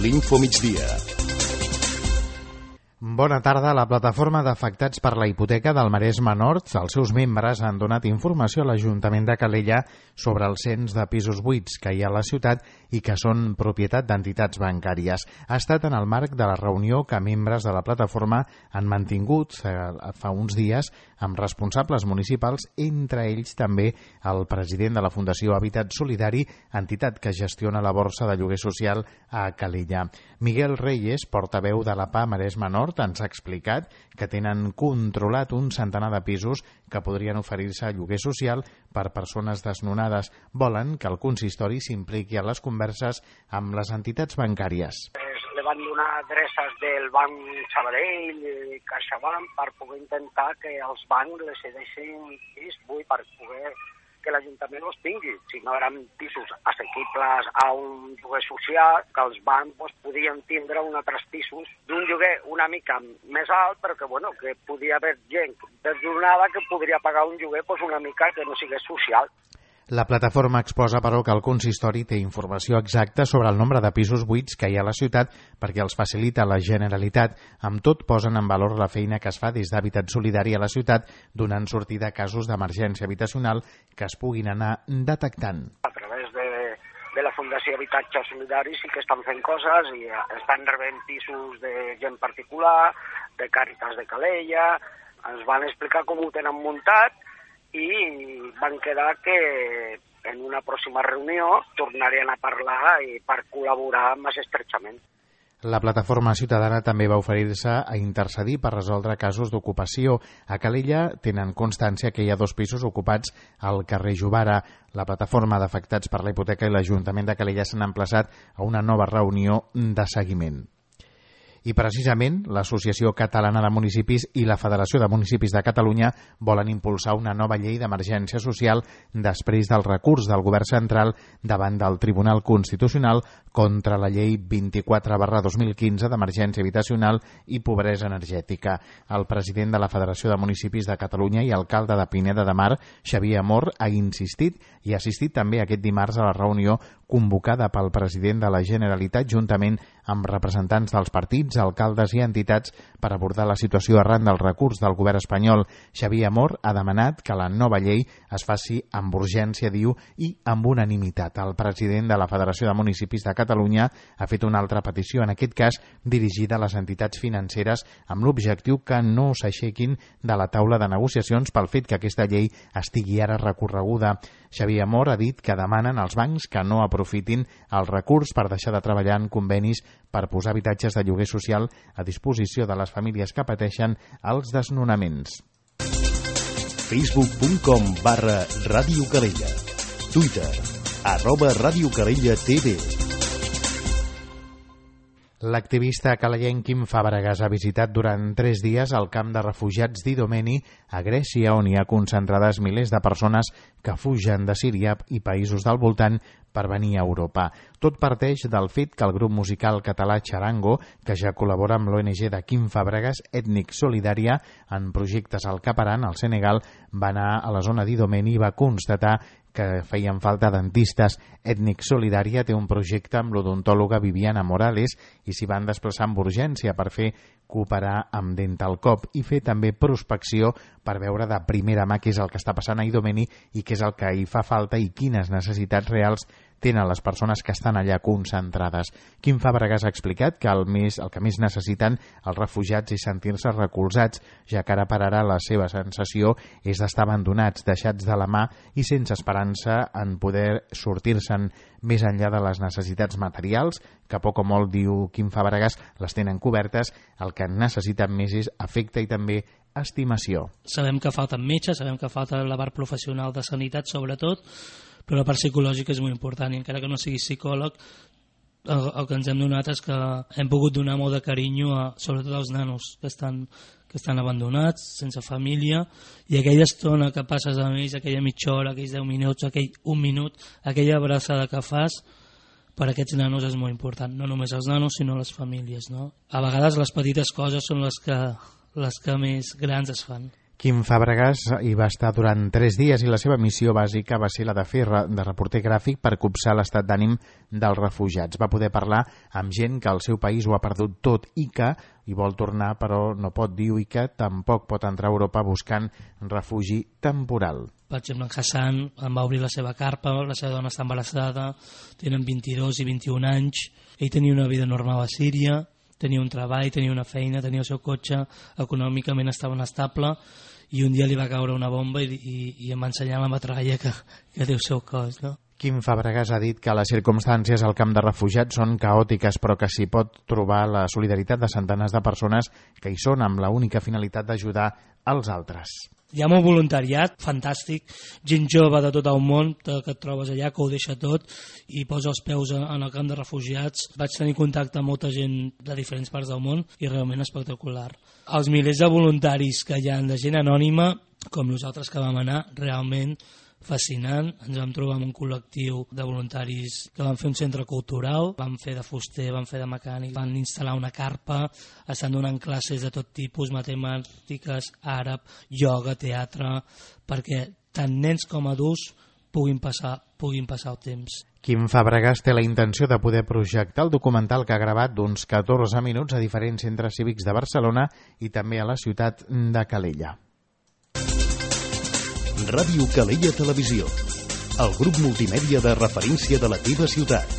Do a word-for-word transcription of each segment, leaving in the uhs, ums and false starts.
l'Info Migdia. Bona tarda. La plataforma d'afectats per la hipoteca del Maresme Nord, els seus membres han donat informació a l'Ajuntament de Calella sobre el cens de pisos buits que hi ha a la ciutat i que són propietat d'entitats bancàries. Ha estat en el marc de la reunió que membres de la plataforma han mantingut fa uns dies amb responsables municipals, entre ells també el president de la Fundació Habitat Solidari, entitat que gestiona la borsa de lloguer social a Calella. Miguel Reyes, portaveu de la P A Maresme Nord, ens ha explicat que tenen controlat un centenar de pisos que podrien oferir-se a lloguer social per persones desnonades. Volen que el consistori s'impliqui a les converses amb les entitats bancàries. Le van donar adreces del Banc Sabadell i CaixaBank per poder intentar que els bancs les cedeixin pis buit per poder que l'Ajuntament els tingui. Si no eren pisos assequibles a un lloguer social, que els bancs doncs, podien tindre un altres pisos d'un lloguer una mica més alt, però que, bueno, que podia haver gent desnonada que podria pagar un lloguer doncs, una mica que no sigués social. La plataforma exposa, però, que el consistori té informació exacta sobre el nombre de pisos buits que hi ha a la ciutat perquè els facilita la Generalitat. Amb tot, posen en valor la feina que es fa des d'Habitat Solidari a la ciutat, donant sortida a casos d'emergència habitacional que es puguin anar detectant. A través de, de la Fundació Habitatge Solidari sí que estan fent coses i estan rebent pisos de gent particular, de Càritas de Calella, ens van explicar com ho tenen muntat i van quedar que en una pròxima reunió tornarien a parlar i per col·laborar més estrechament. La plataforma ciutadana també va oferir-se a intercedir per resoldre casos d'ocupació. A Calella tenen constància que hi ha dos pisos ocupats al carrer Jovara. La plataforma d'afectats per la hipoteca i l'Ajuntament de Calella s'han emplaçat a una nova reunió de seguiment. I precisament l'Associació Catalana de Municipis i la Federació de Municipis de Catalunya volen impulsar una nova llei d'emergència social després del recurs del Govern central davant del Tribunal Constitucional contra la llei vint-i-quatre barra dos mil quinze d'emergència habitacional i pobresa energètica. El president de la Federació de Municipis de Catalunya i alcalde de Pineda de Mar, Xavier Amor, ha insistit i ha assistit també aquest dimarts a la reunió convocada pel president de la Generalitat juntament amb representants dels partits, alcaldes i entitats per abordar la situació arran del recurs del govern espanyol. Xavier Amor ha demanat que la nova llei es faci amb urgència, diu, i amb unanimitat. El president de la Federació de Municipis de Catalunya ha fet una altra petició, en aquest cas dirigida a les entitats financeres, amb l'objectiu que no s'aixequin de la taula de negociacions pel fet que aquesta llei estigui ara recorreguda. Xavier Amor ha dit que demanen als bancs que no aprofitin el recurs per deixar de treballar en convenis per posar habitatges de lloguer social a disposició de les famílies que pateixen els desnonaments. facebook punt com barra Ràdio Calella. Twitter, arroba Ràdio Calella T V. L'activista calellenc Quim Fàbregas ha visitat durant tres dies el camp de refugiats d'Idomeni a Grècia, on hi ha concentrades milers de persones que fugen de Síria i països del voltant per venir a Europa. Tot parteix del fet que el grup musical català Charango, que ja col·labora amb l'O N G de Quim Fàbregas, Ètnic Solidària, en projectes al Cap Aran, al Senegal, va anar a la zona d'Idomeni i va constatar que feien falta dentistes. Ètnic Solidària té un projecte amb l'odontòloga Viviana Morales i s'hi van desplaçar amb urgència per fer cooperar amb Dentalcop i fer també prospecció per veure de primera mà què és el que està passant a Idomeni i què és el que hi fa falta i quines necessitats reals tenen les persones que estan allà concentrades. Quim Fàbregas ha explicat que el, més, el que més necessiten els refugiats és sentir-se recolzats, ja que ara per ara la seva sensació és d'estar abandonats, deixats de la mà i sense esperança en poder sortir-se'n més enllà de les necessitats materials, que poc o molt, diu Quim Fàbregas, les tenen cobertes. El que necessiten més és afecte i també estimació. Sabem que falten metges, sabem que falta la part professional de sanitat sobretot, però la part psicològica és molt important i encara que no siguis psicòleg, el, el que ens hem donat és que hem pogut donar molt de carinyo a, sobretot als nanos que estan, que estan abandonats, sense família, i aquella estona que passes amb ells, aquella mitja hora, aquells deu minuts, aquell un minut, aquella abraçada que fas, per a aquests nanos és molt important, no només els nanos sinó les famílies, no? A vegades les petites coses són les que, les que més grans es fan. Quim Fàbregas hi va estar durant tres dies i la seva missió bàsica va ser la de fer de reporter gràfic per copsar l'estat d'ànim dels refugiats. Va poder parlar amb gent que al seu país ho ha perdut tot i que hi vol tornar, però no pot dir i que tampoc pot entrar a Europa buscant refugi temporal. Per exemple, en Hassan em va obrir la seva carpa, la seva dona està embarassada, tenen vint-i-dos i vint-i-un anys, ell tenia una vida normal a Síria, tenia un treball, tenia una feina, tenia el seu cotxe, econòmicament estava estable, i un dia li va caure una bomba i, i, i em va ensenyar la metralla que, que té el seu cos, no? Quim Fàbregas ha dit que les circumstàncies al camp de refugiats són caòtiques, però que s'hi pot trobar la solidaritat de centenars de persones que hi són amb la única finalitat d'ajudar els altres. Hi ha molt voluntariat, fantàstic, gent jove de tot el món que et trobes allà, que ho deixa tot i posa els peus en el camp de refugiats. Vaig tenir contacte amb molta gent de diferents parts del món i realment espectacular. Els milers de voluntaris que hi ha de gent anònima, com nosaltres que vam anar, realment fascinant. Ens vam trobar amb un col·lectiu de voluntaris que van fer un centre cultural, van fer de fuster, van fer de mecànic, van instal·lar una carpa, estan donant classes de tot tipus, matemàtiques, àrab, ioga, teatre, perquè tant nens com adults puguin passar, puguin passar el temps. Quim Fàbregas té la intenció de poder projectar el documental que ha gravat d'uns catorze minuts a diferents centres cívics de Barcelona i també a la ciutat de Calella. Ràdio Calella Televisió, el grup multimèdia de referència de la teva ciutat.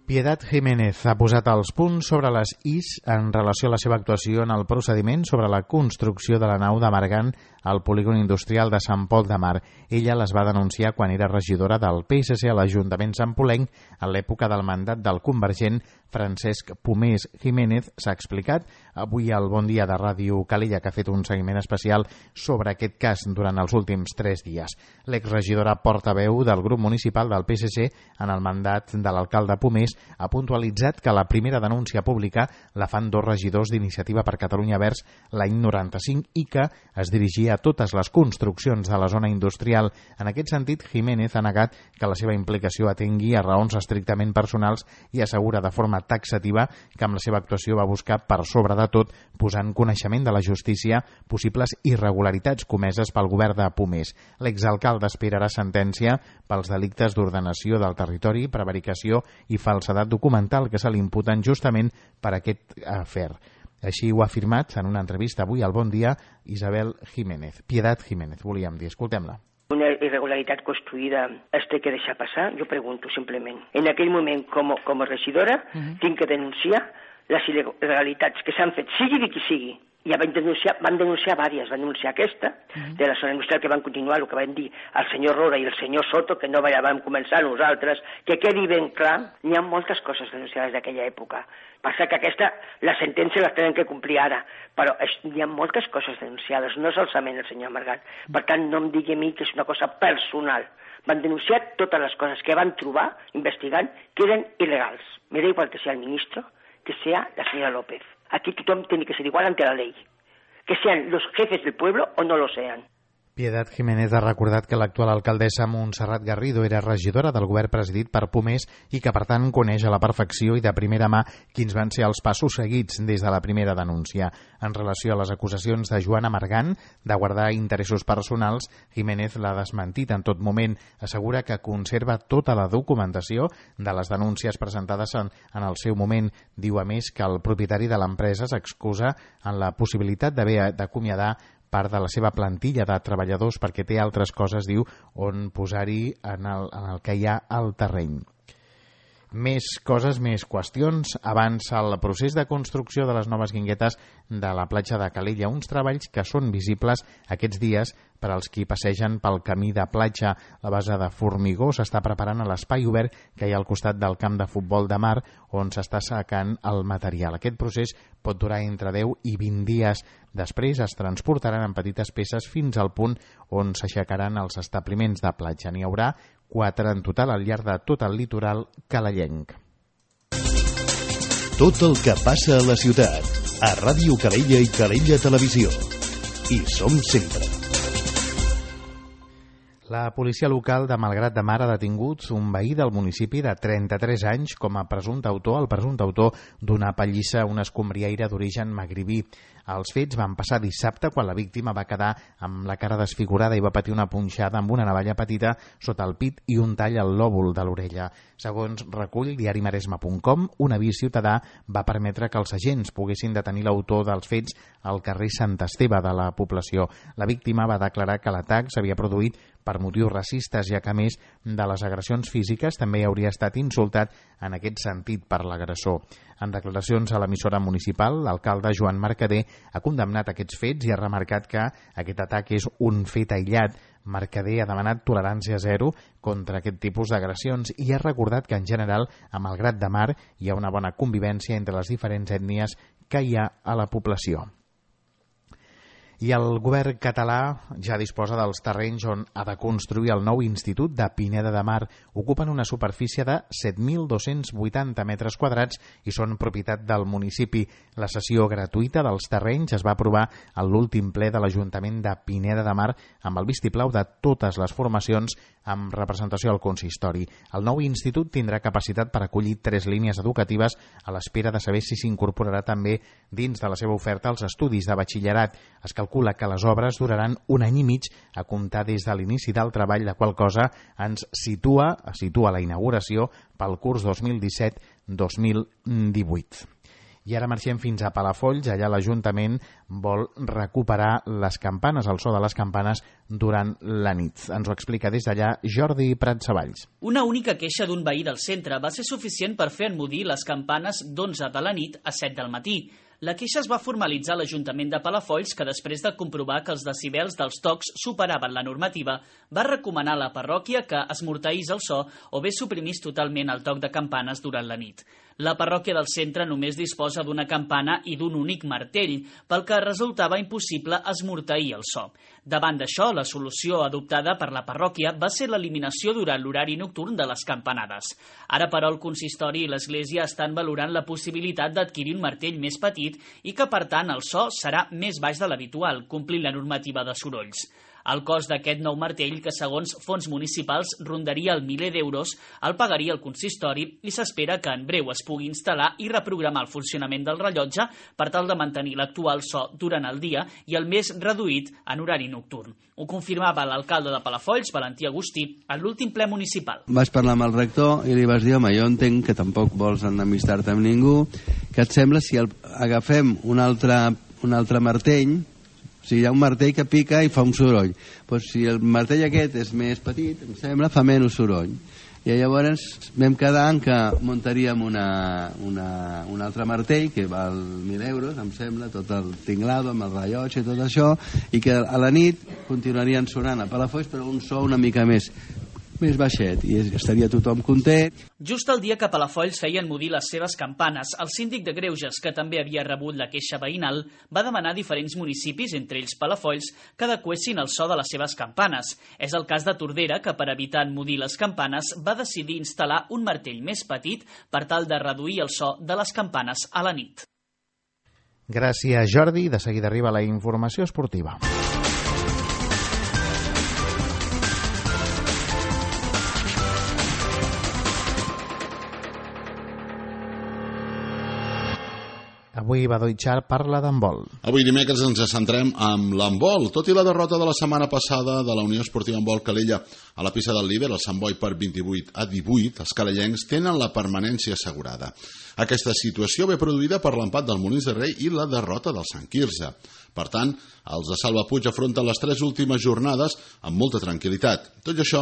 Piedad Jiménez ha posat els punts sobre les is en relació a la seva actuació en el procediment sobre la construcció de la nau de Margant al polígon industrial de Sant Pol de Mar. Ella les va denunciar quan era regidora del P S C a l'Ajuntament santpolenc en l'època del mandat del convergent Francesc Pomés Jiménez. S'ha explicat avui al Bon Dia de Ràdio Calella, que ha fet un seguiment especial sobre aquest cas durant els últims tres dies. L'exregidora portaveu del grup municipal del P S C en el mandat de l'alcalde Pomés ha puntualitzat que la primera denúncia pública la fan dos regidors d'Iniciativa per Catalunya Verds l'any noranta-cinc i que es dirigia a totes les construccions de la zona industrial. En aquest sentit, Jiménez ha negat que la seva implicació atengui a raons estrictament personals i assegura de forma taxativa que amb la seva actuació va buscar per sobre de tot posar en coneixement de la justícia possibles irregularitats comeses pel govern de Pomés. L'exalcalde esperarà sentència pels delictes d'ordenació del territori, prevaricació i falsedat documental que se li imputen justament per aquest afer. Així ho ha afirmat en una entrevista avui al Bon Dia Isabel Jiménez. Piedad Jiménez, volíem dir. Escoltem-la. Una irregularitat construïda es té que deixar passar? Jo pregunto simplement. En aquell moment, com, com a regidora, uh-huh. tinc que denunciar les il·legalitats que s'han fet, sigui de qui sigui. Ja van denunciar, van denunciar diverses, van denunciar aquesta, uh-huh. de la zona industrial, que van continuar el que van dir el senyor Roda i el senyor Soto, que no vam començar nosaltres, que quedi ben clar, n'hi ha moltes coses denunciades d'aquella època. Passa que aquesta, la sentència les tenen que complir ara, però es, hi ha moltes coses denunciades, no solament el senyor Margant. Per tant, no em digui a mi que és una cosa personal. Van denunciar totes les coses que van trobar, investigant, que eren il·legals. Me da igual que sea el ministro, que sea la señora López. Aquí tothom tiene que ser igual ante la ley. Que sean los jefes del pueblo o no lo sean. Piedad Jiménez ha recordat que l'actual alcaldessa Montserrat Garrido era regidora del govern presidit per Pomés i que, per tant, coneix a la perfecció i de primera mà quins van ser els passos seguits des de la primera denúncia. En relació a les acusacions de Joana Margant de guardar interessos personals, Jiménez l'ha desmentit en tot moment. Assegura que conserva tota la documentació de les denúncies presentades en, en el seu moment. Diu, a més, que el propietari de l'empresa s'excusa en la possibilitat d'haver d'acomiadar part de la seva plantilla de treballadors perquè té altres coses, diu, on posar-hi en el, en el que hi ha al terreny. Més coses, més qüestions. Avança el procés de construcció de les noves guinguetes de la platja de Calella, uns treballs que són visibles aquests dies per als qui passegen pel camí de platja. La base de formigó s'està preparant a l'espai obert que hi ha al costat del camp de futbol de mar, on s'està assecant el material. Aquest procés pot durar entre deu i vint dies. Després es transportaran en petites peces fins al punt on s'aixecaran els establiments de platja. N'hi haurà quatre en total al llarg de tot el litoral calellenc. Tot el que passa a la ciutat, a Ràdio Calella i Calella Televisió. Hi som sempre. La policia local de Malgrat de Mar ha detingut un veí del municipi de trenta-tres anys com a presumpte autor, el presumpte autor d'una pallissa a una escombriaire d'origen magribí. Els fets van passar dissabte quan la víctima va quedar amb la cara desfigurada i va patir una punxada amb una navalla petita sota el pit i un tall al lòbul de l'orella. Segons recull diari maresme punt com, un avís ciutadà va permetre que els agents poguessin detenir l'autor dels fets al carrer Sant Esteve de la població. La víctima va declarar que l'atac s'havia produït per motius racistes, ja que a més de les agressions físiques també hauria estat insultat en aquest sentit per l'agressor. En declaracions a l'emissora municipal, l'alcalde Joan Mercader ha condemnat aquests fets i ha remarcat que aquest atac és un fet aïllat. Mercader ha demanat tolerància zero contra aquest tipus d'agressions i ha recordat que en general a Malgrat de Mar hi ha una bona convivència entre les diferents ètnies que hi ha a la població. I el govern català ja disposa dels terrenys on ha de construir el nou Institut de Pineda de Mar. Ocupen una superfície de set mil dos-cents vuitanta metres quadrats i són propietat del municipi. La cessió gratuïta dels terrenys es va aprovar a l'últim ple de l'Ajuntament de Pineda de Mar amb el vistiplau de totes les formacions amb representació al consistori. El nou institut tindrà capacitat per acollir tres línies educatives a l'espera de saber si s'incorporarà també dins de la seva oferta als estudis de batxillerat. Es calcula que les obres duraran un any i mig a comptar des de l'inici del treball, la qual cosa ens situa, situa la inauguració pel curs dos mil disset dos mil divuit. I ara marxem fins a Palafolls. Allà l'Ajuntament vol recuperar les campanes, el so de les campanes durant la nit. Ens ho explica des d'allà Jordi Pratsavalls. Una única queixa d'un veí del centre va ser suficient per fer enmudir les campanes d'onze de la nit a set del matí. La queixa es va formalitzar a l'Ajuntament de Palafolls, que després de comprovar que els decibels dels tocs superaven la normativa, va recomanar a la parròquia que esmorteís el so o bé suprimís totalment el toc de campanes durant la nit. La parròquia del centre només disposa d'una campana i d'un únic martell, pel que resultava impossible esmorteir el so. Davant d'això, la solució adoptada per la parròquia va ser l'eliminació durant l'horari nocturn de les campanades. Ara, però, el consistori i l'Església estan valorant la possibilitat d'adquirir un martell més petit i que, per tant, el so serà més baix de l'habitual, complint la normativa de sorolls. El cost d'aquest nou martell, que segons fons municipals rondaria el miler d'euros, el pagaria el consistori i s'espera que en breu es pugui instal·lar i reprogramar el funcionament del rellotge per tal de mantenir l'actual so durant el dia i el més reduït en horari nocturn. Ho confirmava l'alcalde de Palafolls, Valentí Agustí, en l'últim ple municipal. Vas parlar amb el rector i li vas dir, home, jo entenc que tampoc vols enemistar-te amb ningú, que et sembla si el, agafem un altre, un altre martell. O sigui, hi ha un martell que pica i fa un soroll. Pues si el martell aquest és més petit, em sembla, fa menys soroll. I llavors vam quedar en que muntaríem una, una, un altre martell que val mil euros, em sembla, tot el tinglado amb el rellotge i tot això, i que a la nit continuarien sonant a Palafolls, però un so una mica més més baixet, i estaria tothom content. Just el dia que Palafolls feien mudir les seves campanes, el síndic de Greuges, que també havia rebut la queixa veïnal, va demanar a diferents municipis, entre ells Palafolls, que adequessin el so de les seves campanes. És el cas de Tordera, que per evitar enmudir les campanes va decidir instal·lar un martell més petit per tal de reduir el so de les campanes a la nit. Gràcies, Jordi. De seguida arriba la informació esportiva. Avui Badoichar parla d'handbol. Avui dimecres ens centrem amb l'handbol. Tot i la derrota de la setmana passada de la Unió Esportiva Handbol Calella a la pista del líder, el Sant Boi, per vint-i-vuit a divuit, els calellencs tenen la permanència assegurada. Aquesta situació ve produïda per l'empat del Molins de Rei i la derrota del Sant Quirze. Per tant, els de Salva Puig afronten les tres últimes jornades amb molta tranquil·litat. Tot i això,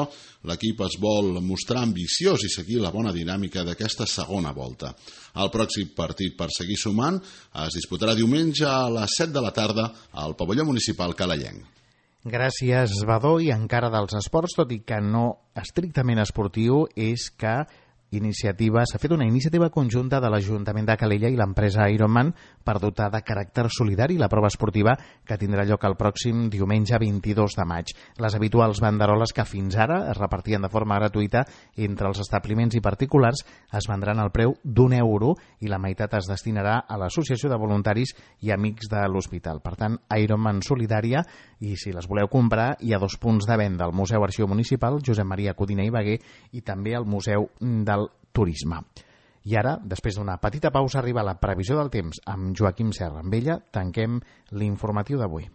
l'equip es vol mostrar ambiciós i seguir la bona dinàmica d'aquesta segona volta. El pròxim partit per seguir sumant es disputarà diumenge a les set de la tarda al pavelló municipal calellenc. Gràcies, Badó. I encara dels esports, tot i que no estrictament esportiu, és que iniciativa s'ha fet una iniciativa conjunta de l'Ajuntament de Calella i l'empresa Ironman per dotar de caràcter solidari la prova esportiva que tindrà lloc el pròxim diumenge vint-i-dos de maig. Les habituals banderoles que fins ara es repartien de forma gratuïta entre els establiments i particulars es vendran al preu d'un euro i la meitat es destinarà a l'Associació de Voluntaris i Amics de l'Hospital. Per tant, Ironman solidària, i si les voleu comprar hi ha dos punts de venda, al Museu Arxiu Municipal Josep Maria Codina i Baguer i també al Museu del Turisme. I ara, després d'una petita pausa, arriba la previsió del temps amb Joaquim Serra. Amb ella tanquem l'informatiu d'avui.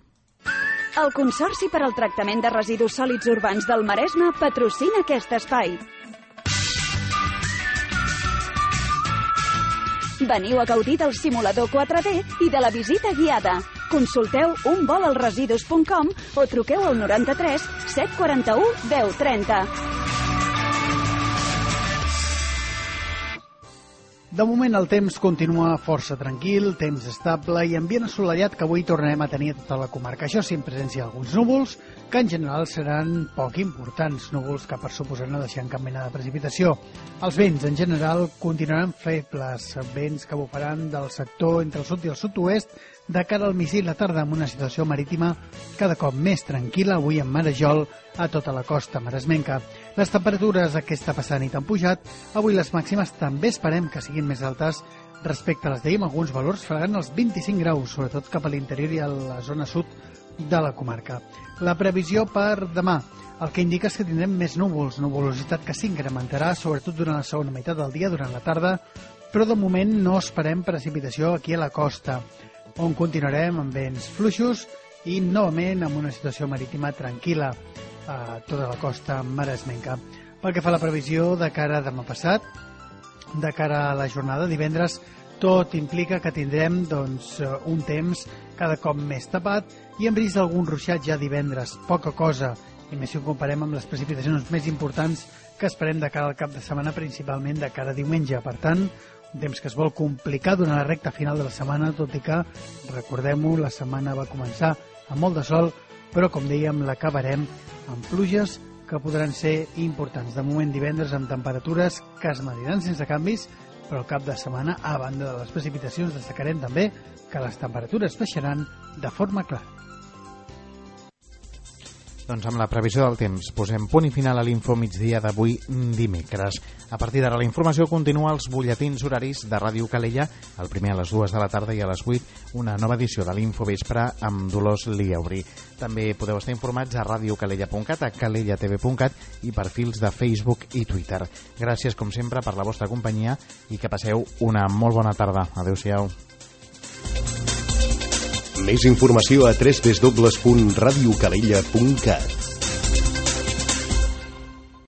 El Consorci per al Tractament de Residus Sòlids Urbans del Maresme patrocina aquest espai. Veniu a gaudir del simulador quatre D i de la visita guiada. Consulteu un vol al residus punt com o truqueu al noranta-tres set quaranta-u deu trenta. De moment el temps continua força tranquil, temps estable i ambient assolellat que avui tornarem a tenir a tota la comarca. Això sí, en presència d'alguns núvols, que en general seran poc importants, núvols que per suposar no deixaran cap mena de precipitació. Els vents en general continuaran febles, vents que bufaran del sector entre el sud i el sud-oest de cara al migdia i la tarda, amb una situació marítima cada cop més tranquil·la, avui en marejol a tota la costa maresmenca. Les temperatures aquesta passada nit han pujat, avui les màximes també esperem que siguin més altes respecte a les d'ahir, amb alguns valors fregant els vint-i-cinc graus, sobretot cap a l'interior i a la zona sud de la comarca. La previsió per demà, el que indica és que tindrem més núvols, nuvolositat que s'incrementarà, sobretot durant la segona meitat del dia, durant la tarda, però de moment no esperem precipitació aquí a la costa, on continuarem amb vents fluixos i novament amb una situació marítima tranquil·la a tota la costa maresmenca. Pel que fa a la previsió de cara a demà passat, de cara a la jornada divendres, tot implica que tindrem doncs, un temps cada cop més tapat i amb risc d'algun ruixat ja divendres, poca cosa, i més si ho comparem amb les precipitacions més importants que esperem de cara al cap de setmana, principalment de cara a diumenge. Per tant, un temps que es vol complicar durant la recta final de la setmana, tot i que, recordem-ho, la setmana va començar amb molt de sol, però, com dèiem, l'acabarem amb pluges que podran ser importants. De moment, divendres, amb temperatures que es mantindran sense canvis, però al cap de setmana, a banda de les precipitacions, destacarem també que les temperatures baixaran de forma clara. Doncs amb la previsió del temps posem punt i final a l'info migdia d'avui dimecres. A partir d'ara la informació continua als butlletins horaris de Ràdio Calella, el primer a les dues de la tarda i a les vuit una nova edició de l'Info Vespre amb Dolors Liauri. També podeu estar informats a radiocalella punt cat, a calellatv punt cat i perfils de Facebook i Twitter. Gràcies com sempre per la vostra companyia i que passeu una molt bona tarda. Adéu-siau. Més informació a w w w punt radiocalella punt cat.